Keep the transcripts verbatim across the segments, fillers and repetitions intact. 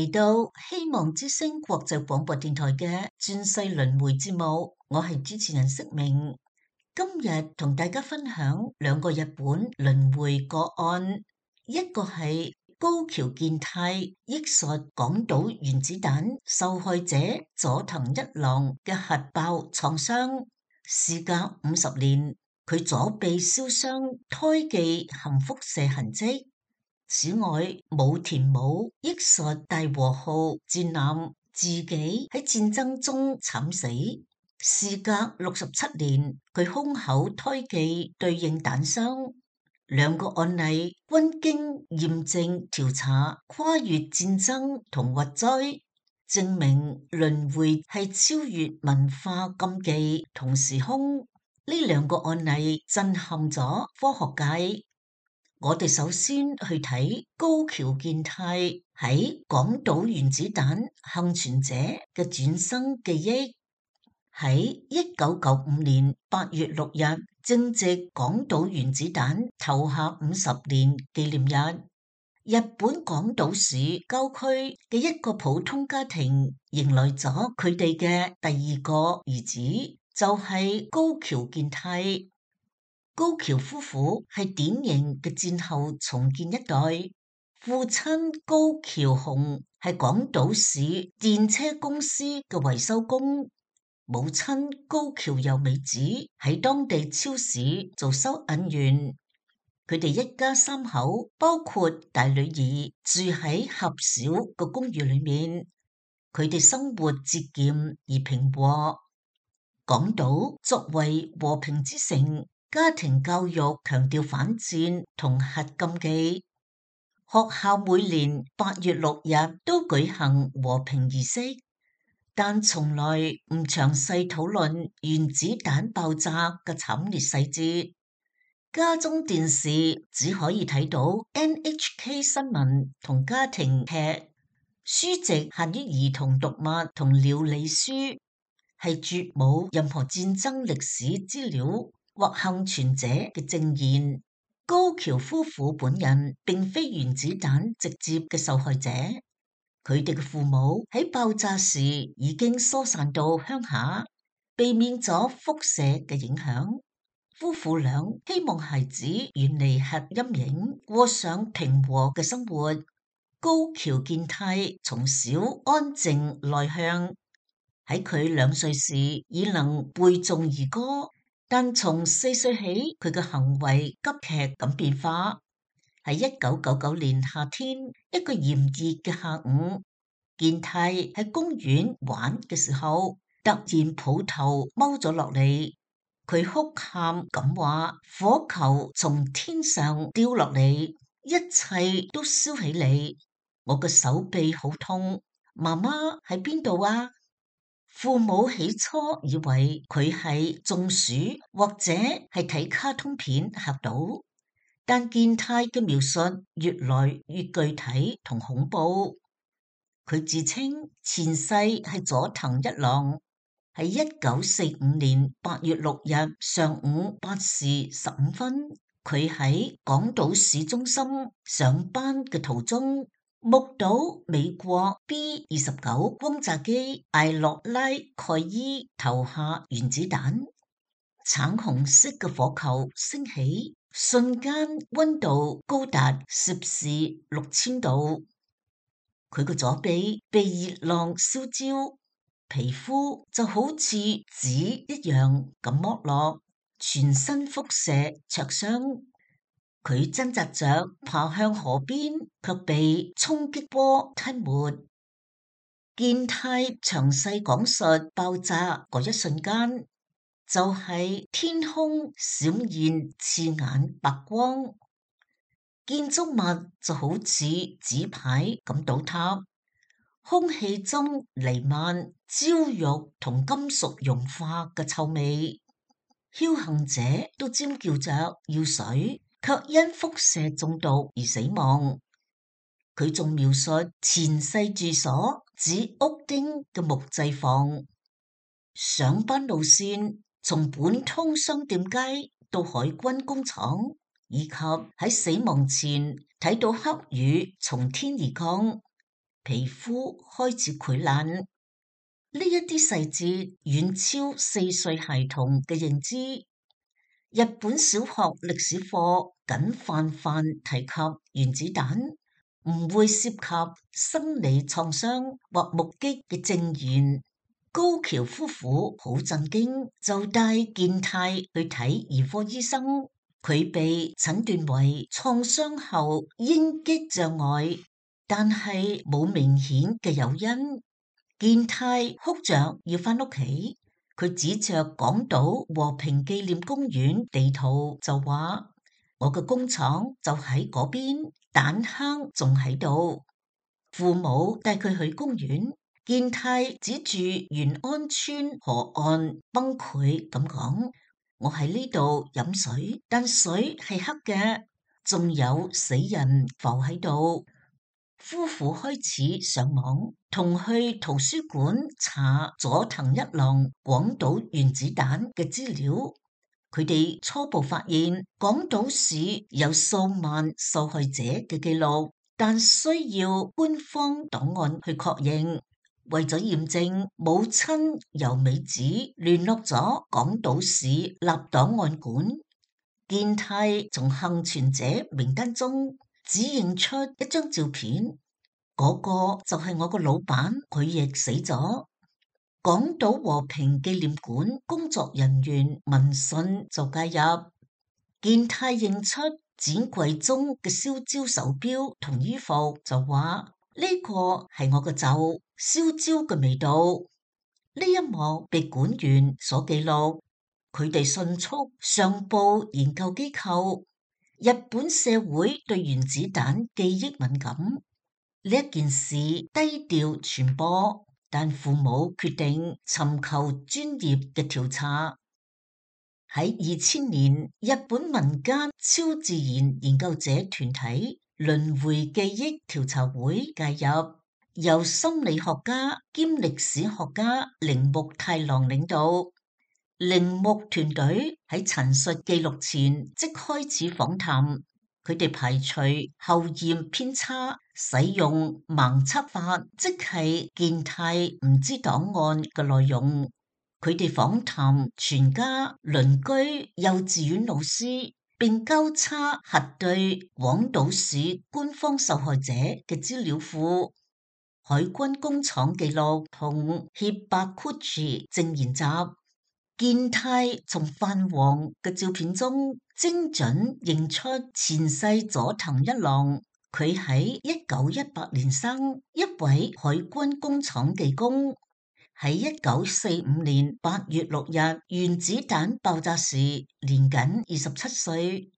嚟到希望之聲國際廣播電台嘅轉世輪迴節目，我係主持人釋明。今日同大家分享兩個日本輪迴個案，一個係高橋健太憶述廣島原子彈受害者佐藤一郎嘅核爆創傷，事隔五十年，佢左臂燒傷，胎記含輻射痕跡。此外，武田武憶述大和號戰艦自己喺戰爭中慘死，事隔六十七年，佢胸口胎記對應彈傷。兩個案例均經驗證調查，跨越戰爭同核災，證明輪迴係超越文化禁忌同時空。呢兩個案例震撼咗科學界。我哋首先去睇高橋健太喺廣島原子彈幸存者嘅轉生記憶。喺一九九五年八月六日，正值廣島原子彈投下五十年紀念日，日本廣島市郊區嘅一個普通家庭迎來咗佢哋嘅第二個兒子，就係高橋健太。高橋夫婦係典型嘅戰後重建一代，父親高橋雄係廣島市電車公司嘅維修工，母親高橋由美子喺當地超市做收銀員。佢哋一家三口，包括大女兒，住喺狹小嘅公寓裏面。佢哋生活節儉而平和。廣島作為和平之城，家庭教育強調反戰同核禁忌。學校每年八月六日都舉行和平儀式，但從來唔詳細討論原子彈爆炸嘅慘烈細節。家中電視只可以睇到 N H K 新聞同家庭劇，書籍限於兒童讀物同料理書，係絕冇任何戰爭歷史資料或幸存者嘅證言。高橋夫婦本人並非原子彈直接嘅受害者，佢哋嘅父母喺爆炸時已經疏散到鄉下，避免咗輻射嘅影響。夫婦倆希望孩子遠離核陰影，過上平和嘅生活。高橋健太從小安靜內向，喺佢兩歲時已能背誦兒歌，但從四歲起，佢嘅行為急劇咁變化。喺一九九九年夏天一個炎熱嘅下午，健太喺公園玩嘅時候，突然抱頭踎咗落嚟，佢哭喊咁話：火球從天上掉落嚟，一切都燒起嚟，我嘅手臂好痛，媽媽喺邊度啊？父母起初以為佢係中暑或者係睇卡通片嚇到，但健太嘅描述越來越具體同恐怖。佢自稱前世係佐藤一郎，喺一九四五年八月六日上午八時十五分，佢喺廣島市中心上班嘅途中，目睹美國 B 二十九轟炸機艾洛拉蓋伊投下原子彈，橙紅色嘅火球升起，瞬間溫度高達攝氏六千度。佢個左臂被熱浪燒焦，皮膚就好似紙一樣咁剝落，全身輻射灼傷。佢掙扎着爬向河邊，卻被衝擊波吞沒。健太詳細講述爆炸嗰一瞬間，就係、是、天空閃現刺眼白光，建築物就好似紙牌咁倒塌，空氣中彌漫焦肉同金屬融化嘅臭味，僥倖者都尖叫着要水，卻因輻射中毒而死亡。佢仲描述前世住所指屋丁嘅木製房，上班路線從本通商店街到海軍工廠，以及喺死亡前睇到黑雨從天而降。皮膚開始潰爛。呢一啲細節遠超四歲孩童嘅認知。日本小學歷史課僅泛泛提及原子彈，唔會涉及生理創傷或目擊嘅證言。高橋夫婦好震驚，就帶健太去睇兒科醫生。佢被診斷為創傷後應激障礙，但係冇明顯嘅誘因。健太哭着要返屋企，佢指着廣島和平紀念公園地圖就話：我嘅工廠就喺嗰邊，彈坑仲喺度。父母帶佢去公園。健太指住元安村河岸崩潰咁講：我喺呢度飲水，但水係黑嘅，仲有死人浮喺度。夫婦開始上網，同去圖書館查佐藤一郎廣島原子彈嘅資料。佢哋初步發現廣島市有數萬受害者嘅記錄，但需要官方檔案去確認。為咗驗證，母親由美子聯絡咗廣島市立檔案館。健太從幸存者名單中只認出一張照片，嗰個就係我個老闆，佢亦死咗。廣島和平紀念館工作人員聞訊就介入。健太認出展櫃中嘅燒焦手錶同衣服，就話呢個係我個袖。燒焦嘅味道，呢一幕被館員所記錄，佢哋迅速上報研究機構。日本社會對原子彈記憶敏感，呢一件事低調傳播，但父母決定尋求專業嘅調查。喺二千年，日本民間超自然研究者團體輪迴記憶調查會介入。由心理學家兼歷史學家鈴木太郎領導，鈴木團隊喺陳述記錄前即開始訪談，佢哋排除後驗偏差，使用盲測法，即係健太唔知檔案嘅內容。佢哋訪談全家、鄰居、幼稚園老師，並交叉核對廣島市官方受害者嘅資料庫。海軍工廠記錄同協白庫治證言集。健太從泛黃嘅照片中精準認出前世佐藤一郎，佢喺一九一八年生，一位海軍工廠技工，喺一九四五年八月六日原子彈爆炸時年僅二十七歲。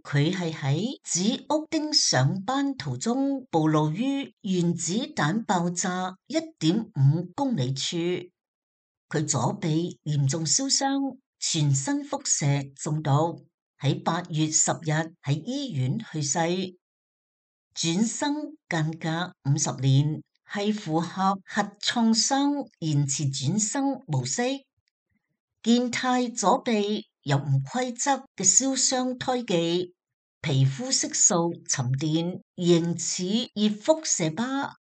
佢係喺指屋町上班途中暴露於原子彈爆炸一點五公里處，佢左臂嚴重燒傷，全身輻射中毒，喺八月十日喺醫院去世。轉生間隔五十年，係符合核創傷延遲轉生模式。健太左臂有唔規則嘅燒傷胎記。皮膚色素沉澱，形似熱輻射疤。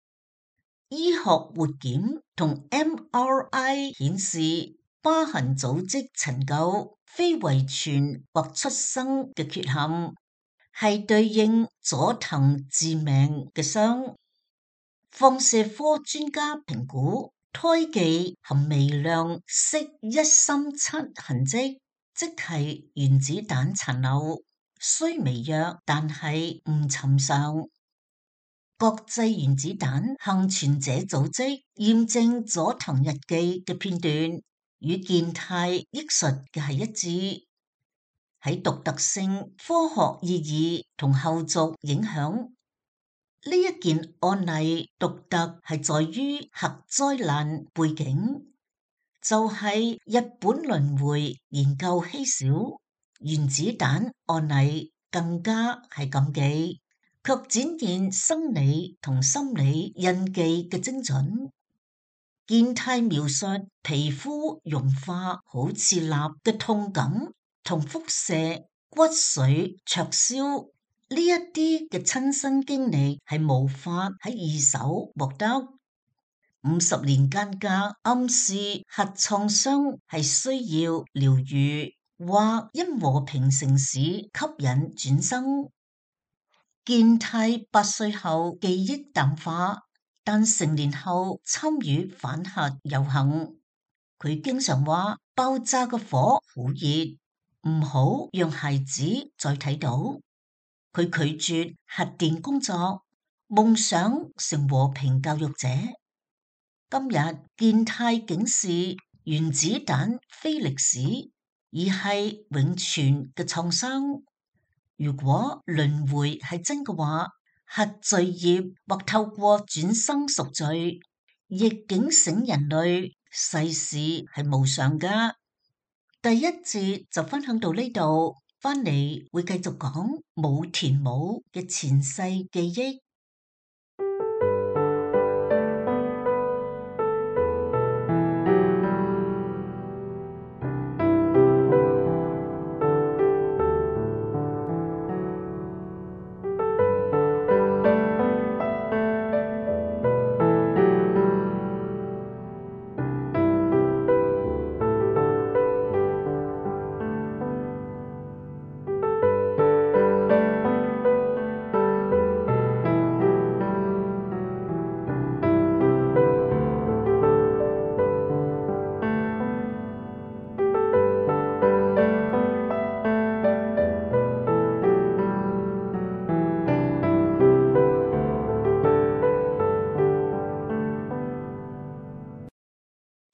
醫學活檢同 M R I 顯示疤痕組織陳舊，非遺傳或出生嘅缺陷，係對應佐藤致命嘅傷。放射科專家評估胎記含微量銫一三七痕跡，即係原子彈殘留。雖微弱，但係唔尋常。國際原子彈幸存者組織驗證佐藤日記嘅片段，與健太憶述嘅係一致。喺獨特性、科學意義同後續影響，呢一件案例獨特係在於核災難背景，就係、是、日本輪迴研究稀少。原子彈案例更加係禁忌，卻展現生理同心理印記嘅精準。健太描述皮膚融化好似蠟嘅痛感同輻射、骨髓灼燒，呢一啲嘅親身經歷係無法喺二手獲得。五十年間嘅暗示核創傷係需要療癒，或因和平城市吸引轉生。健太八歲後記憶淡化，但成年後參與反核遊行。佢經常話爆炸嘅火好熱，唔好讓孩子再睇到。佢拒絕核電工作，夢想成和平教育者。今日健太警示原子彈非歷史，而係永存嘅創傷。如果輪迴係真嘅話，核罪業或透過轉生贖罪，亦警醒人類世事係無常㗎。第一節就分享到呢度，返嚟會繼續講武田武嘅前世記憶。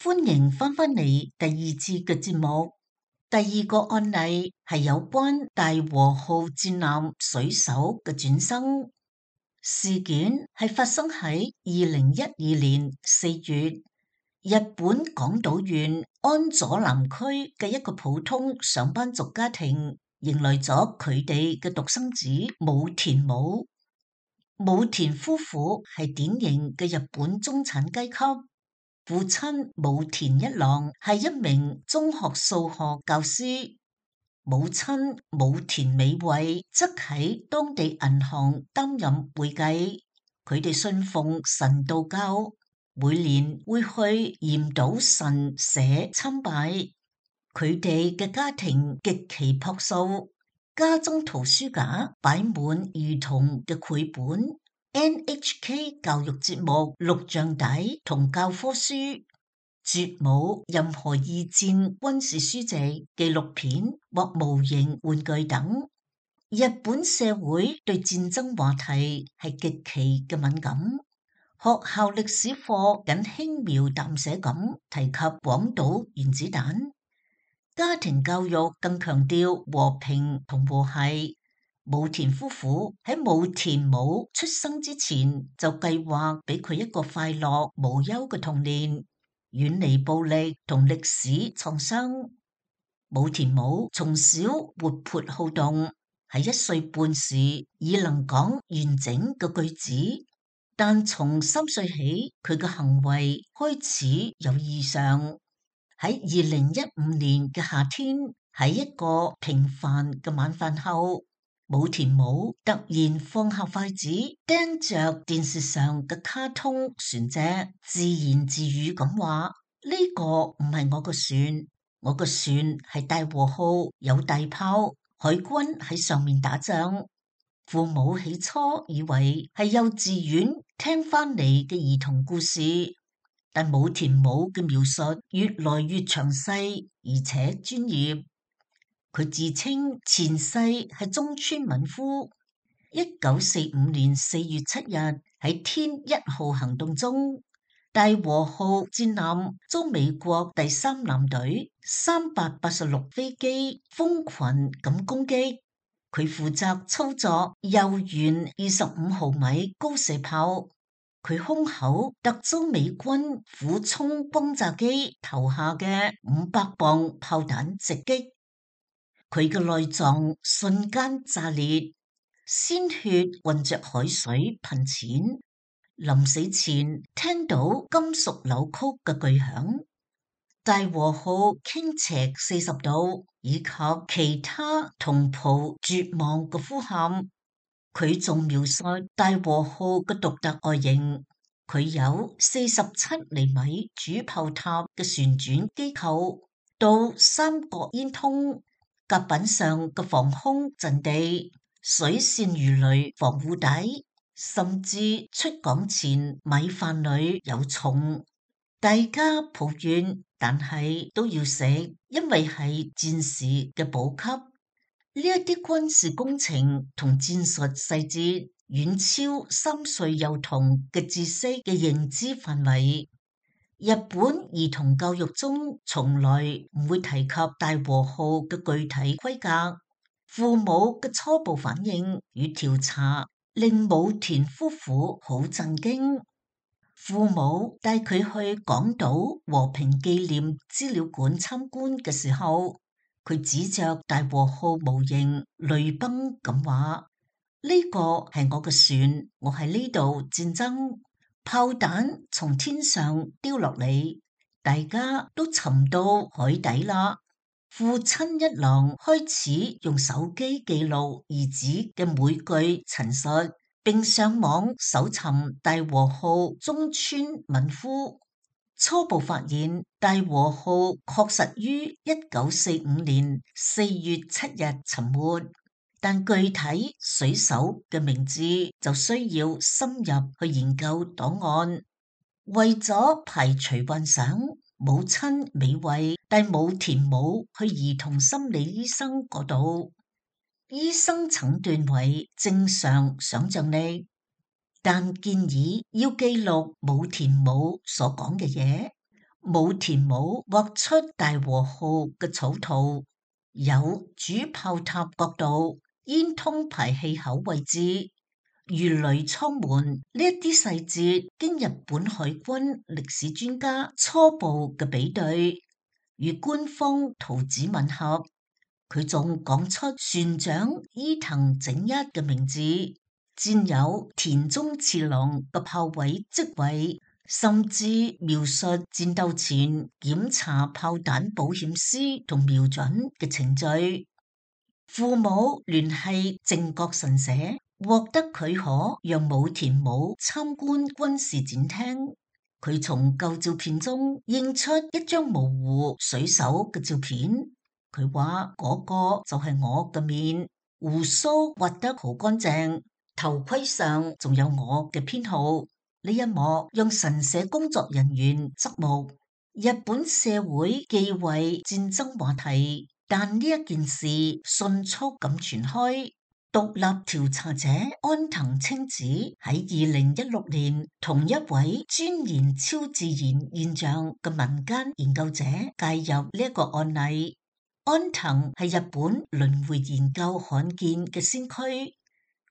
歡迎翻返嚟第二次嘅節目。第二個案例係有關大和號戰艦水手嘅轉生事件，係發生喺二零一二年四月，日本廣島縣安佐南區嘅一個普通上班族家庭，迎來咗佢哋嘅獨生子武田武。武田夫婦係典型嘅日本中產階級。父親武田一郎係一名中學數學教師，母親武田美惠則喺當地銀行擔任會計。佢哋信奉神道教，每年會去嚴島神社參拜。佢哋嘅家庭極其樸素，家中圖書架擺滿兒童嘅繪本、N H K 教育節目錄像帶同教科書，絕冇任何二戰軍事書籍、紀錄片或模型玩具等。日本社會對戰爭話題係極其嘅敏感，學校歷史課僅輕描淡寫咁提及廣島原子彈，家庭教育更強調和平同和諧。武田夫婦喺武田武出生之前就計劃俾佢一個快樂無憂嘅童年，遠離暴力同歷史創傷。武田武從小活潑好動，喺一歲半時已能講完整嘅句子，但從三歲起佢嘅行為開始有異常。喺二零一五年嘅夏天，喺一個平凡嘅晚飯後，武田武突然放下筷子，盯着電視上嘅卡通船隻，自言自語咁話：呢個唔係我個船，我個船係大和號，有大炮，海軍喺上面打仗。父母起初以為係幼稚園聽翻嚟嘅兒童故事，但武田武嘅描述越來越詳細而且專業。佢自稱前世係中村敏夫。一九四五年四月七日喺天一號行動中，大和號戰艦遭美國第三艦隊三百八十六飛機蜂群咁攻擊。佢負責操作右舷二十五毫米高射炮，佢胸口突遭美軍俯衝轟炸機投下嘅五百磅炮彈直擊。佢嘅內臟瞬間炸裂，鮮血混着海水噴濺。臨死前聽到金屬扭曲嘅巨響，大和號傾斜四十度，以及其他同袍絕望嘅呼喊。佢仲描述大和號嘅獨特外形，佢有四十七厘米主炮塔嘅旋轉機構，到三角煙通甲板上嘅防空陣地、水線魚雷防護底，甚至出港前米飯裏有蟲。大家抱怨，但係都要食，因為係戰士嘅補給。呢一啲軍事工程同戰術細節遠超三歲幼童嘅知識嘅認知範圍。日本兒童教育中從來唔會提及大和號嘅具體規格。父母嘅初步反應與調查令武田夫婦好震驚。父母帶佢去港島和平紀念資料館參觀嘅時候，佢指着大和號模型淚崩咁話：呢個係我嘅船，我喺呢度戰爭，炮彈從天上掉落嚟，大家都沉到海底啦。父親一郎開始用手機記錄兒子嘅每句陳述，並上網搜尋大和號中村敏夫，初步發現大和號確實於一九四五年四月七日沉沒，但具體水手嘅名字就需要深入去研究檔案。為咗排除幻想，母親美惠帶武田母去兒童心理醫生嗰度。醫生診斷為正常想象力，但建議要記錄武田母所講嘅嘢。武田母畫出大和號嘅草圖，有主炮塔角度、煙通排氣口位置、魚雷艙門呢一啲細節，經日本海軍歷史專家初步嘅比對，與官方圖紙吻合。佢仲講出船長伊藤整一嘅名字，佔有田中次郎嘅炮位職位，甚至描述戰鬥前檢查炮彈保險絲同瞄準嘅程序。父母聯繫靖國神社，獲得許可讓武田母參觀軍事展廳。佢從舊照片中認出一張模糊水手嘅照片。佢話嗰個就係我嘅面，鬍鬚畫得好乾淨，頭盔上仲有我嘅編號。呢一幕讓神社工作人員側目。日本社會忌諱戰爭話題，但呢一件事迅速咁傳開。獨立調查者安藤清子喺二零一六年同一位鑽研超自然現象嘅民間研究者介入呢一個案例。安藤係日本輪迴研究罕見嘅先驅，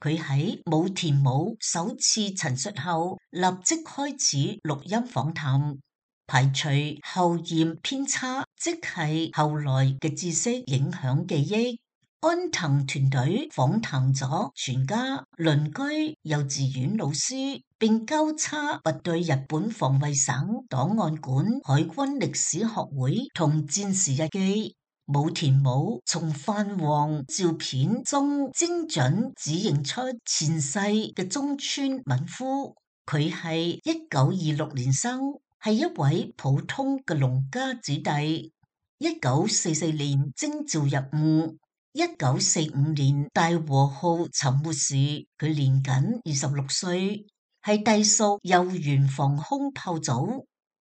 佢喺武田母首次陳述後，立即開始錄音訪談，排除後驗偏差，即係後來嘅知識影響記憶。安藤團隊訪談咗全家、鄰居、幼稚園老師，並交叉核對日本防衛省檔案館、海軍歷史學會同戰時日記。武田母從泛黃照片中精準指認出前世嘅中村敏夫，佢係一九二六年生，係一位普通嘅農家子弟。一九四四年徵召入伍，一九四五年大和號沉沒時，佢年僅二十六歲，係隸屬右舷防空炮組。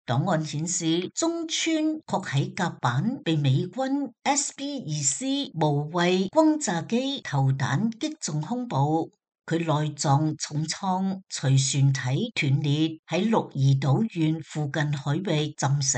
檔案顯示，中村確喺甲板被美軍 S B 二 C 無畏轟炸機投彈擊中胸部，佢內臟重創，隨船體斷裂，喺鹿兒島縣附近海域浸死。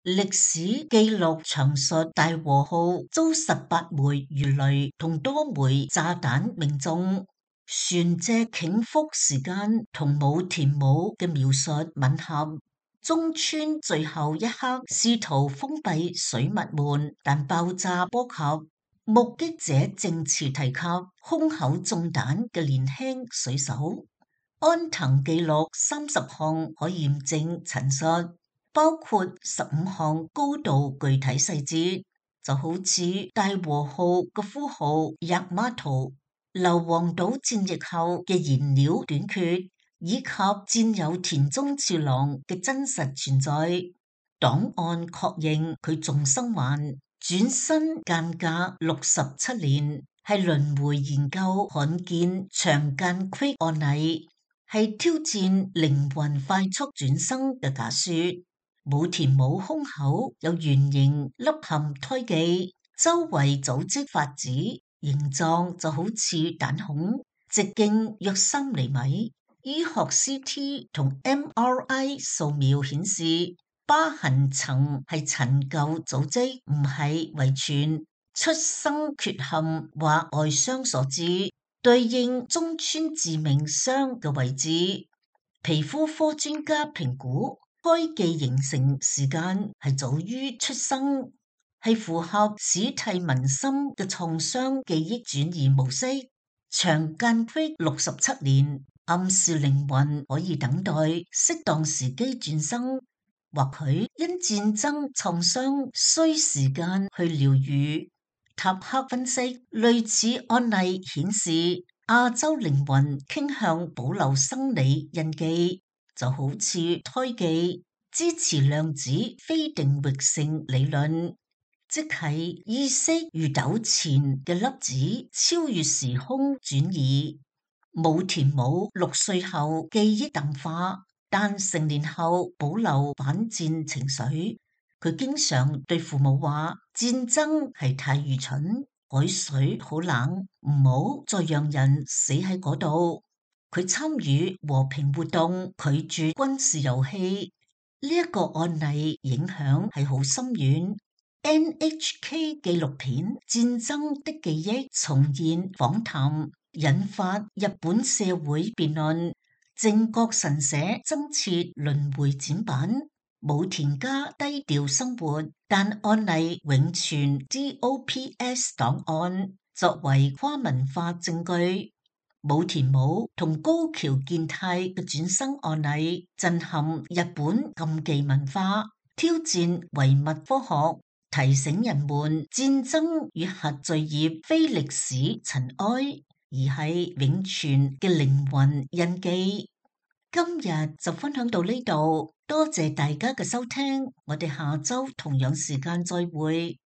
歷史記錄詳述大和號遭十八枚魚雷同多枚炸彈命中，船隻傾覆時間同武田母嘅描述吻合。中村最後一刻試圖封閉水密門，但爆炸波及。目擊者證詞提及胸口中彈嘅年輕水手。安藤記錄三十項可驗證陳述，包括十五項高度具體細節，就好似大和號嘅呼號 Yamato。硫磺島戰役後嘅燃料短缺，以及戰友田中次郎嘅真實存在。檔案確認佢仲生還，轉身間隔六十七年，係輪迴研究罕見長間隙案例，係挑戰靈魂快速轉生嘅假說。武田武胸口有圓形凹陷胎記，周圍組織發紫，形狀就好似彈孔，直徑約三厘米。醫學 C T 同 M R I 掃描顯示，疤痕層係陳舊組織，唔係遺傳出生缺陷或外傷所致，對應中村致命傷嘅位置。皮膚科專家評估，該記形成時間係早於出生，係符合史蒂文森嘅創傷記憶轉移模式。長間隙六十七年，暗示靈魂可以等待適當時機轉生，或許因戰爭創傷需時間去療愈。塔克分析，類似案例顯示，亞洲靈魂傾向保留生理印記，就好似胎記，支持量子非定域性理論，即係意識如糾纏嘅粒子超越時空轉移。武田武六歲後記憶淡化，但成年後保留反戰情緒。佢經常對父母話：戰爭係太愚蠢，海水好冷，唔好再讓人死喺嗰度。佢參與和平活動，拒絕軍事遊戲。呢、這、一個案例影響係好深遠。N H K 紀錄片《戰爭的記憶》重現訪談，引發日本社會辯論。靖國神社增設輪迴展板。武田家低調生活，但案例永存 D O P S 檔案作為跨文化證據。武田武同高橋健太嘅轉生案例震撼日本禁忌文化，挑戰唯物科學，提醒人們戰爭與核罪業非歷史塵埃，而係永存嘅靈魂印記。今日就分享到呢度，多謝大家嘅收聽，我哋下周同樣時間再會。